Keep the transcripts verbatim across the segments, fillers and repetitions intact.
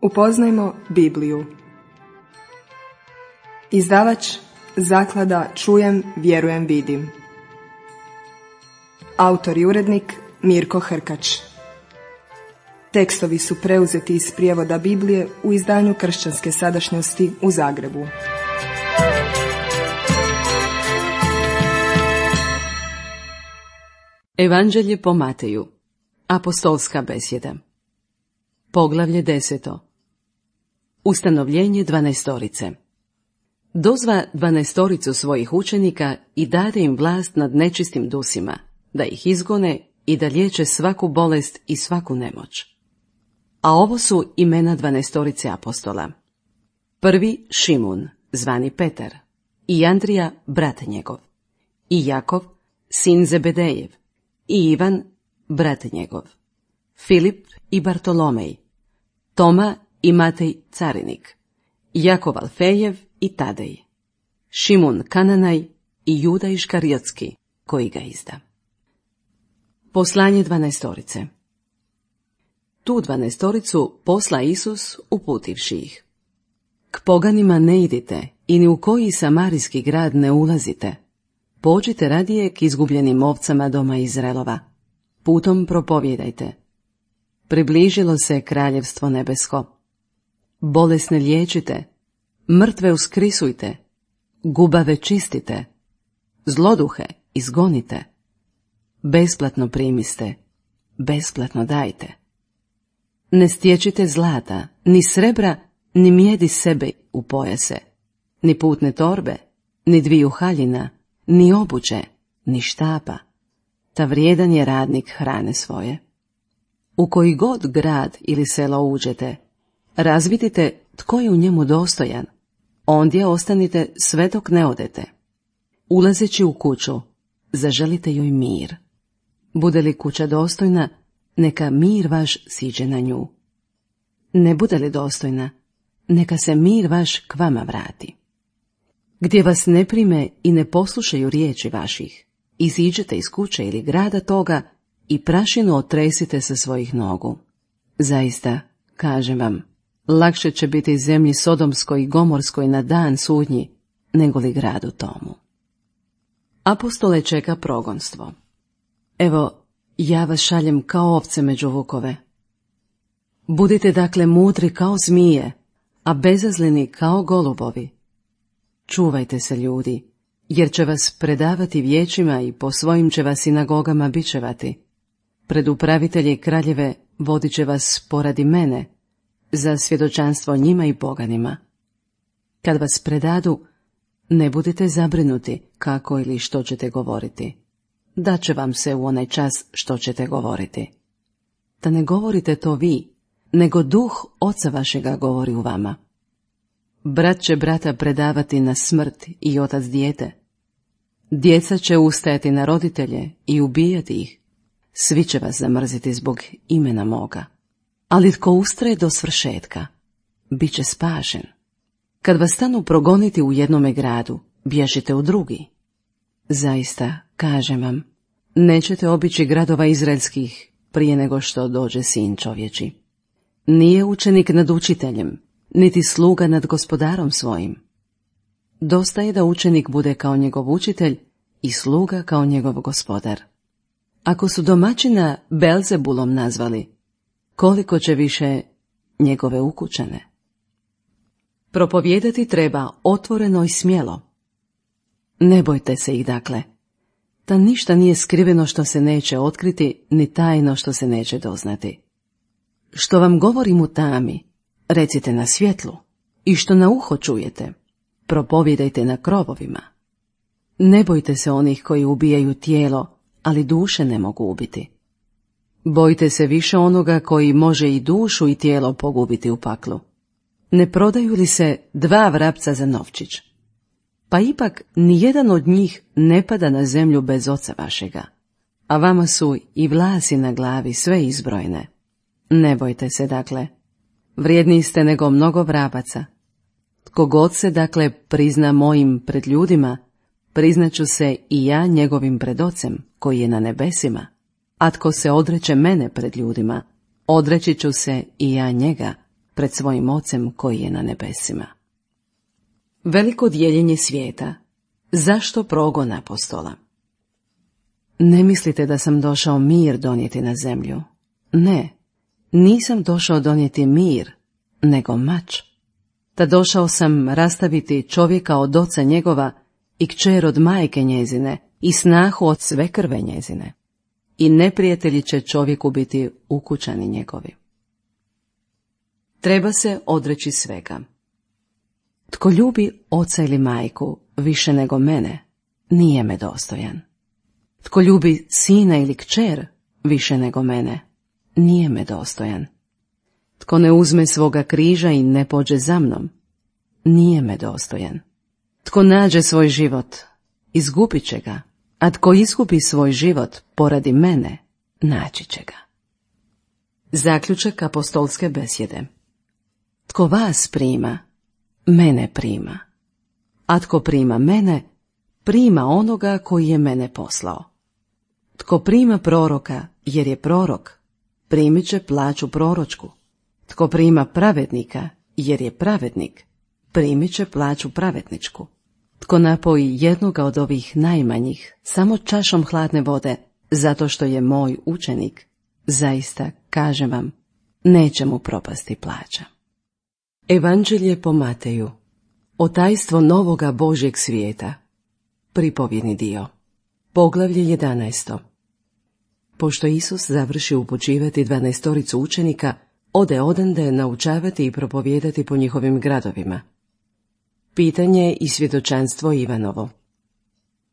Upoznajmo Bibliju. Izdavač Zaklada Čujem, vjerujem, vidim. Autor i urednik Mirko Hrkač. Tekstovi su preuzeti iz prijevoda Biblije u izdanju Kršćanske sadašnjosti u Zagrebu. Evanđelje po Mateju. Apostolska besjeda. Poglavlje deseto. Ustanovljenje dvanaestorice. Dozva dvanaestoricu svojih učenika i dade im vlast nad nečistim dusima, da ih izgone i da liječe svaku bolest i svaku nemoć. A ovo su imena dvanaestorice apostola. Prvi Šimun, zvani Petar, i Andrija, brat njegov, i Jakov, sin Zebedejev, i Ivan, brat njegov, Filip i Bartolomej, Toma i Matej carinik, Jakov Alfejev i Tadej, Šimun Kananaj i Juda Iškariotski, koji ga izda. Poslanje dvanaestorice. Tu dvanaestoricu posla Isus uputivši ih. K poganima ne idite i ni u koji samarijski grad ne ulazite. Pođite radije k izgubljenim ovcama doma Izraelova. Putom propovjedajte. Približilo se kraljevstvo nebesko. Bolesne liječite, mrtve uskrisujte, gubave čistite, zloduhe izgonite. Besplatno primiste, besplatno dajte. Ne stječite zlata, ni srebra, ni mijedi sebe u pojase, ni putne torbe, ni dviju haljina, ni obuće, ni štapa. Ta vrijedan je radnik hrane svoje. U koji god grad ili selo uđete, razvidite tko je u njemu dostojan, ondje ostanite sve dok ne odete. Ulazeći u kuću, zaželite joj mir. Bude li kuća dostojna, neka mir vaš siđe na nju. Ne bude li dostojna, neka se mir vaš k vama vrati. Gdje vas ne prime i ne poslušaju riječi vaših, iziđete iz kuće ili grada toga i prašinu otresite sa svojih nogu. Zaista, kažem vam, lakše će biti zemlji Sodomskoj i Gomorskoj na dan sudnji, nego li gradu tomu. Apostole čeka progonstvo. Evo, ja vas šaljem kao ovce među vukove. Budite dakle mudri kao zmije, a bezazleni kao golubovi. Čuvajte se, ljudi, jer će vas predavati vijećima i po svojim će vas sinagogama bičevati. Pred upravitelje kraljeve vodit će vas poradi mene, za svjedočanstvo njima i poganima. Kad vas predadu, ne budite zabrinuti kako ili što ćete govoriti. Daće vam se u onaj čas što ćete govoriti. Da ne govorite to vi, nego duh oca vašega govori u vama. Brat će brata predavati na smrt i otac dijete. Djeca će ustajati na roditelje i ubijati ih. Svi će vas zamrziti zbog imena moga. Ali tko ustraje do svršetka, bit će spašen. Kad vas stanu progoniti u jednome gradu, bježite u drugi. Zaista, kažem vam, nećete obići gradova izraelskih prije nego što dođe sin čovječi. Nije učenik nad učiteljem, niti sluga nad gospodarom svojim. Dosta je da učenik bude kao njegov učitelj i sluga kao njegov gospodar. Ako su domaćina Belzebulom nazvali, koliko će više njegove ukućane? Propovijedati treba otvoreno i smjelo. Ne bojte se ih dakle, da ništa nije skriveno što se neće otkriti, ni tajno što se neće doznati. Što vam govorim u tami, recite na svjetlu, i što na uho čujete, propovijedajte na krovovima. Ne bojte se onih koji ubijaju tijelo, ali duše ne mogu ubiti. Bojte se više onoga koji može i dušu i tijelo pogubiti u paklu. Ne prodaju li se dva vrapca za novčić? Pa ipak nijedan od njih ne pada na zemlju bez oca vašega, a vama su i vlasi na glavi sve izbrojene. Ne bojte se dakle, vrijedniji ste nego mnogo vrabaca. Tko god se dakle prizna mojim pred ljudima, priznaću se i ja njegovim pred ocem koji je na nebesima. A tko se odreće mene pred ljudima, odreći ću se i ja njega pred svojim Ocem koji je na nebesima. Veliko dijeljenje svijeta. Zašto progon apostola? Ne mislite da sam došao mir donijeti na zemlju. Ne, nisam došao donijeti mir, nego mač. Da došao sam rastaviti čovjeka od oca njegova i kćer od majke njezine i snahu od sve krve njezine. I neprijatelji će čovjeku biti ukućani njegovi. Treba se odreći svega. Tko ljubi oca ili majku više nego mene, nije me dostojan. Tko ljubi sina ili kćer više nego mene, nije me dostojan. Tko ne uzme svoga križa i ne pođe za mnom, nije me dostojan. Tko nađe svoj život, izgubit će ga, a tko izgubi svoj život poradi mene, naći će ga. Zaključak apostolske besjede. Tko vas prima, mene prima, a tko prima mene, prima onoga koji je mene poslao. Tko prima proroka, jer je prorok, primit će plaću proročku. Tko prima pravednika, jer je pravednik, primit će plaću pravedničku. Tko napoji jednoga od ovih najmanjih samo čašom hladne vode, zato što je moj učenik, zaista, kažem vam, neće mu propasti plaća. Evanđelje po Mateju. Otajstvo novoga Božjeg svijeta. Pripovjedni dio. Poglavlje jedanaesto. Pošto Isus završi upućivati dvanaestoricu učenika, ode odande naučavati i propovijedati po njihovim gradovima. Pitanje i svjedočanstvo Ivanovo.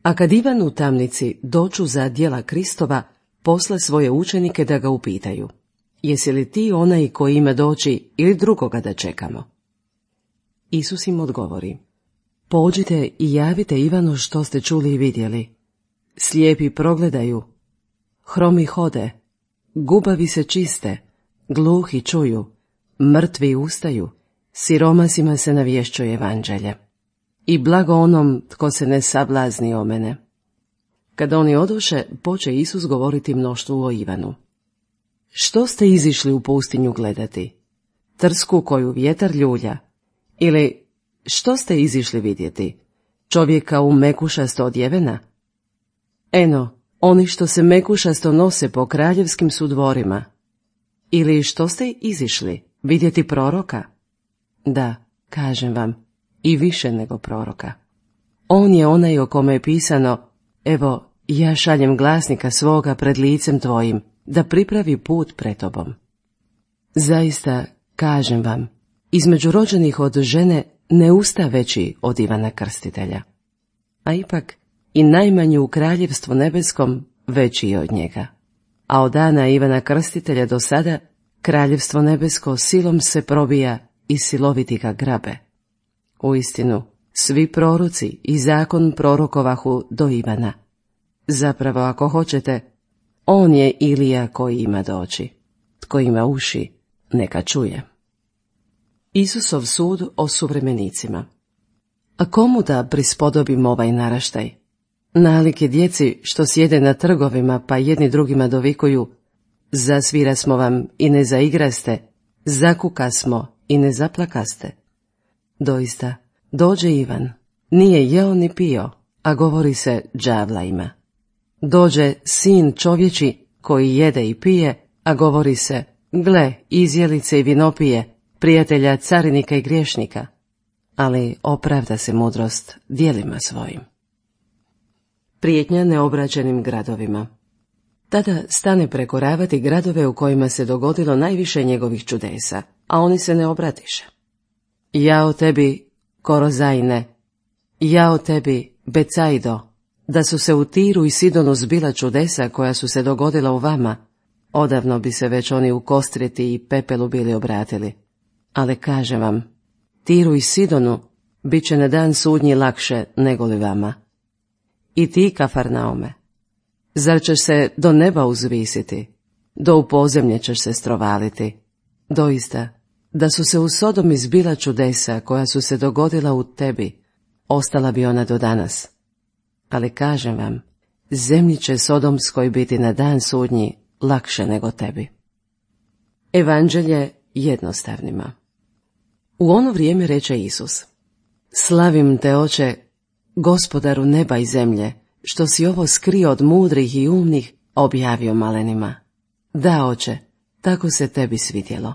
A kad Ivan u tamnici doču za djela Kristova, posle svoje učenike da ga upitaju: jesi li ti onaj koji ima doći ili drugoga da čekamo? Isus im odgovori: pođite i javite Ivanu što ste čuli i vidjeli. Slijepi progledaju, hromi hode, gubavi se čiste, gluhi čuju, mrtvi ustaju, siromasima se navješćuje evanđelje. I blago onom tko se ne sablazni o mene. Kad oni odoše, poče Isus govoriti mnoštvu o Ivanu. Što ste izišli u pustinju gledati? Trsku koju vjetar ljulja? Ili što ste izišli vidjeti? Čovjeka u mekušasto odjevena? Eno, oni što se mekušasto nose po kraljevskim su dvorima. Ili što ste izišli vidjeti proroka? Da, kažem vam, i više nego proroka. On je onaj o kome je pisano: evo, ja šaljem glasnika svoga pred licem tvojim, da pripravi put pred tobom. Zaista, kažem vam, između rođenih od žene ne usta veći od Ivana Krstitelja. A ipak, i najmanji u kraljevstvu nebeskom veći je od njega. A od dana Ivana Krstitelja do sada, kraljevstvo nebesko silom se probija i siloviti ga grabe. Uistinu, svi proroci i zakon prorokovahu do Ivana. Zapravo, ako hoćete, on je Ilija koji ima doći. Tko ima uši, neka čuje. Isusov sud o suvremenicima. A komu da prispodobim ovaj naraštaj? Nalik je djeci što sjede na trgovima pa jedni drugima dovikuju: zasvira smo vam i ne zaigraste, zakuka smo i ne zaplakaste. Doista, dođe Ivan, nije jeo ni pio, a govori se đavla ima. Dođe sin čovječi koji jede i pije, a govori se: gle, izjelice i vinopije, prijatelja carinika i griješnika. Ali opravda se mudrost djelima svojim. Prijetnja neobrađenim gradovima. Tada stane prekoravati gradove u kojima se dogodilo najviše njegovih čudesa, a oni se ne obratiše. Jao tebi, Korozajne, jao tebi, Becajdo, da su se u Tiru i Sidonu zbila čudesa koja su se dogodila u vama, odavno bi se već oni u kostriti i pepelu bili obratili. Ali kažem vam, Tiru i Sidonu bit će na dan sudnji lakše nego li vama. I ti, Kafarnaume, zar ćeš se do neba uzvisiti, do u pozemlje ćeš se strovaliti? Doista, da su se u Sodomi zbila čudesa koja su se dogodila u tebi, ostala bi ona do danas. Ali kažem vam, zemlji će Sodomskoj biti na dan sudnji lakše nego tebi. Evanđelje jednostavnima. U ono vrijeme reče Isus: Slavim te, Oče, Gospodaru neba i zemlje, što si ovo skrio od mudrih i umnih, objavio malenima. Da, Oče, tako se tebi svidjelo.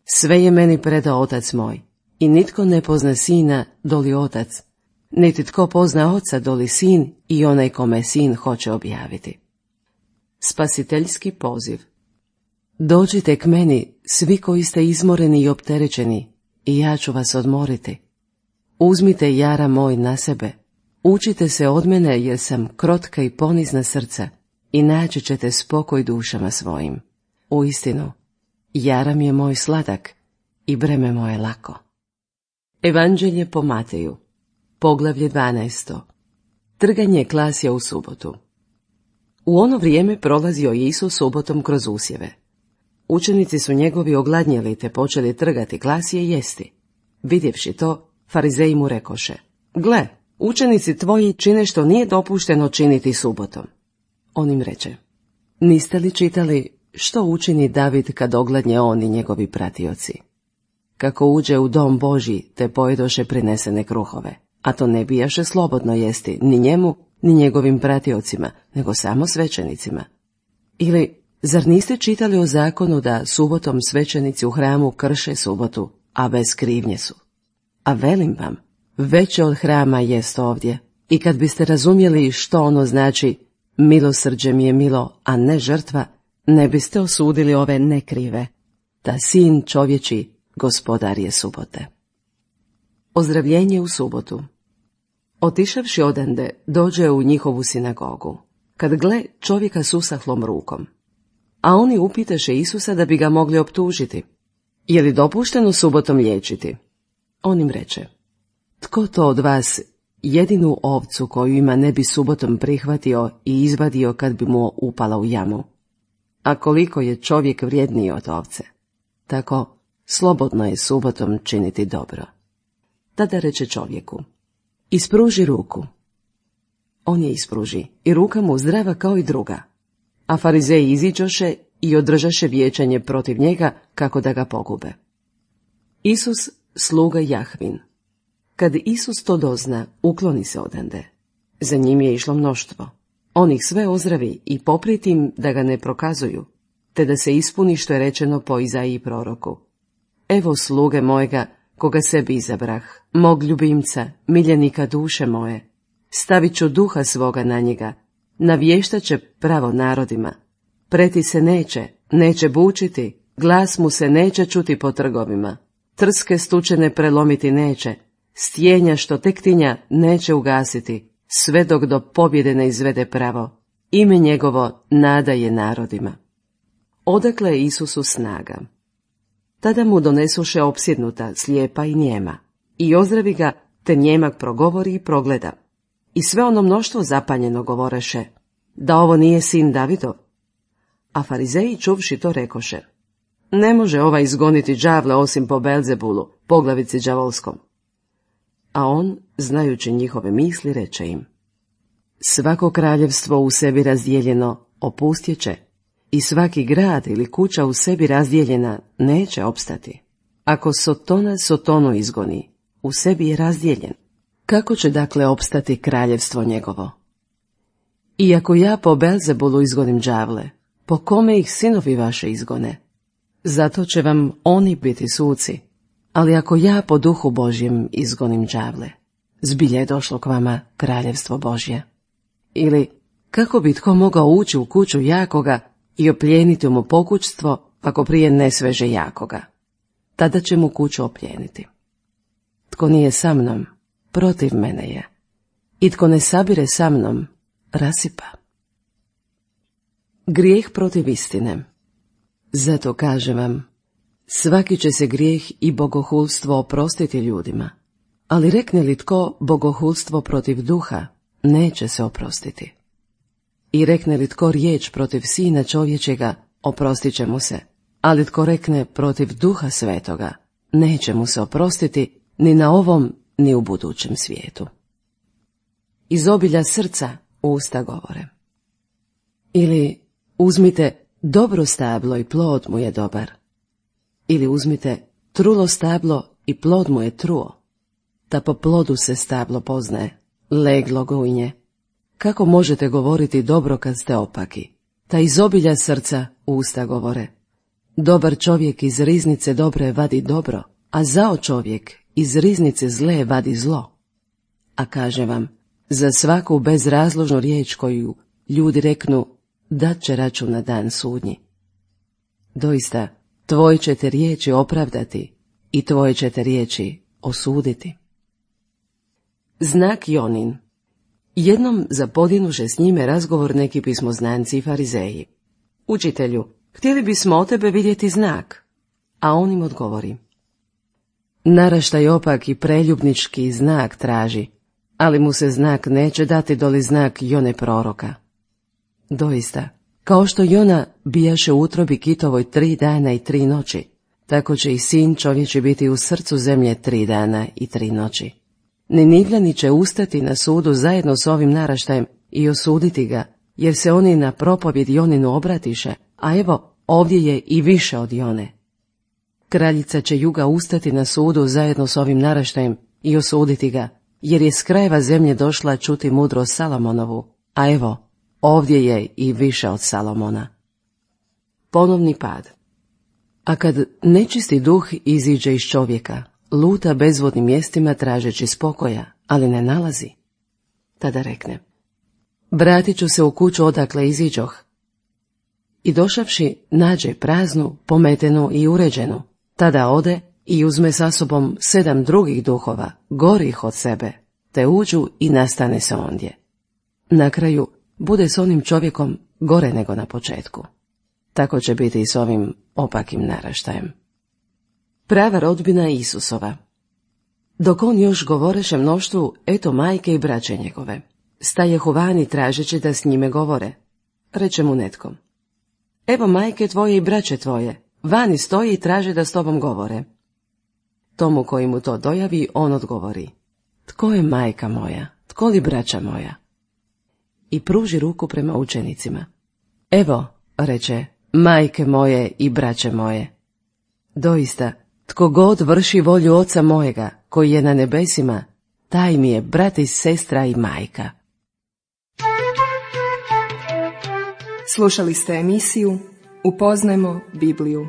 Sve je meni predao Otac moj, i nitko ne pozna Sina doli Otac, niti tko pozna Oca doli Sin i onaj kome Sin hoće objaviti. Spasiteljski poziv. Dođite k meni, svi koji ste izmoreni i opterećeni, i ja ću vas odmoriti. Uzmite jara moj na sebe, učite se od mene jer sam krotka i ponizna srca, i naći ćete spokoj dušama svojim. Uistinu, jaram je moj sladak i breme moje lako. Evanđelje po Mateju, poglavlje dvanaesto. Trganje klasja u subotu. U ono vrijeme prolazio Isus subotom kroz usjeve. Učenici su njegovi ogladnjeli te počeli trgati klasje i jesti. Vidjevši to, farizeji mu rekoše: Gle, učenici tvoji čine što nije dopušteno činiti subotom. On im reče: Niste li čitali što učini David kad ogladnje on i njegovi pratioci? Kako uđe u dom Božji te pojedoše prinesene kruhove, a to ne bijaše slobodno jesti ni njemu ni njegovim pratiocima, nego samo svećenicima. Ili, zar niste čitali o zakonu da subotom svećenici u hramu krše subotu, a bez krivnje su? A velim vam, veće od hrama jest ovdje, i kad biste razumjeli što ono znači milosrđe mi je milo, a ne žrtva, ne biste osudili ove nekrive. Ta Sin čovječi, Gospodar je subote. Ozdravljenje u subotu. Otišavši odande, dođe u njihovu sinagogu, kad gle čovjeka s usahlom rukom. A oni upitaše Isusa da bi ga mogli optužiti: Je li dopušteno subotom liječiti? On im reče: Tko to od vas jedinu ovcu koju ima ne bi subotom prihvatio i izvadio kad bi mu upala u jamu? A koliko je čovjek vrijedniji od ovce? Tako, slobodno je subotom činiti dobro. Tada reče čovjeku: Ispruži ruku. On je ispruži, i ruka mu zdrava kao i druga. A farizeji iziđoše i održaše vijećanje protiv njega kako da ga pogube. Isus, sluga Jahvin. Kad Isus to dozna, ukloni se odande. Za njim je išlo mnoštvo. On ih sve ozdravi i poprijeti im da ga ne prokazuju, te da se ispuni što je rečeno po Izaiji proroku: Evo sluge mojega, koga sebi izabrah, mog ljubimca, miljenika duše moje. Stavit ću duha svoga na njega, navještat će pravo narodima. Preti se neće, neće bučiti, glas mu se neće čuti po trgovima. Trske stučene prelomiti neće, stjenja što tek tinja neće ugasiti, sve dok do pobjede ne izvede pravo. Ime njegovo nada je narodima. Odakle je Isusu snaga? Tada mu donesuše opsjednuta, slijepa i njema, i ozdravi ga, te njemak progovori i progleda. I sve ono mnoštvo zapanjeno govoreše: Da ovo nije sin Davidov? A farizeji čuvši to rekoše: Ne može ovaj izgoniti đavle osim po Belzebulu, poglavici đavolskom. A on, znajući njihove misli, reče im: Svako kraljevstvo u sebi razdijeljeno opustjeće, i svaki grad ili kuća u sebi razdijeljena neće opstati. Ako Sotona Sotonu izgoni, u sebi je razdijeljen. Kako će dakle opstati kraljevstvo njegovo? I ako ja po Belzebulu izgonim đavle, po kome ih sinovi vaše izgone? Zato će vam oni biti suci. Ali ako ja po duhu Božjem izgonim đavle, zbilja je došlo k vama kraljevstvo Božje. Ili, kako bi tko mogao ući u kuću jakoga i oplijeniti mu pokućstvo, ako prije ne sveže jakoga? Tada će mu kuću oplijeniti. Tko nije sa mnom, protiv mene je. I tko ne sabire sa mnom, rasipa. Grijeh protiv istine. Zato kažem vam, svaki će se grijeh i bogohulstvo oprostiti ljudima, ali rekne li tko bogohulstvo protiv duha, neće se oprostiti. I rekne li tko riječ protiv Sina čovječega, oprostit će mu se, ali tko rekne protiv Duha Svetoga, neće mu se oprostiti ni na ovom, ni u budućem svijetu. Iz obilja srca usta govore. Ili uzmite dobro stablo i plod mu je dobar. Ili uzmite trulo stablo i plod mu je truo. Ta po plodu se stablo poznaje, leglo gojnje. Kako možete govoriti dobro kad ste opaki? Ta iz obilja srca usta govore. Dobar čovjek iz riznice dobre vadi dobro, a zao čovjek iz riznice zle vadi zlo. A kaže vam, za svaku bezrazložnu riječ koju ljudi reknu, dat će račun na dan sudnji. Doista, tvoje ćete riječi opravdati i tvoje ćete riječi osuditi. Znak Jonin. Jednom zapodinuše s njime razgovor neki pismoznanci i farizeji. Učitelju, htjeli bismo od tebe vidjeti znak. A on im odgovori. Naraštaj opak i preljubnički znak traži, ali mu se znak neće dati doli znak Jone proroka. Doista, kao što Jona bijaše u utrobi kitovoj tri dana i tri noći, tako će i sin čovječi biti u srcu zemlje tri dana i tri noći. Ninivljani će ustati na sudu zajedno s ovim naraštajem i osuditi ga, jer se oni na propovjed Joninu obratiše, a evo, ovdje je i više od Jone. Kraljica će juga ustati na sudu zajedno s ovim naraštajem i osuditi ga, jer je s krajeva zemlje došla čuti mudrost Salomonovu, a evo, ovdje je i više od Salomona. Ponovni pad. A kad nečisti duh iziđe iz čovjeka, luta bezvodnim mjestima tražeći spokoja, ali ne nalazi. Tada rekne, vratit ću se u kuću odakle iziđoh. I došavši, nađe praznu, pometenu i uređenu. Tada ode i uzme sa sobom sedam drugih duhova, gorih od sebe, te uđu i nastane se ondje. Na kraju bude s onim čovjekom gore nego na početku. Tako će biti i s ovim opakim naraštajem. Prava rodbina Isusova. Dok on još govoreše mnoštvu, eto majke i braće njegove. Stajehu vani tražeći da s njime govore. Reče mu netko. Evo majke tvoje i braće tvoje, vani stoji i traže da s tobom govore. Tomu koji mu to dojavi, on odgovori. Tko je majka moja, tko li braća moja? I pruži ruku prema učenicima. Evo, reče, majke moje i braće moje. Doista, tko god vrši volju oca mojega, koji je na nebesima, taj mi je brat i sestra i majka. Slušali ste emisiju Upoznajmo Bibliju.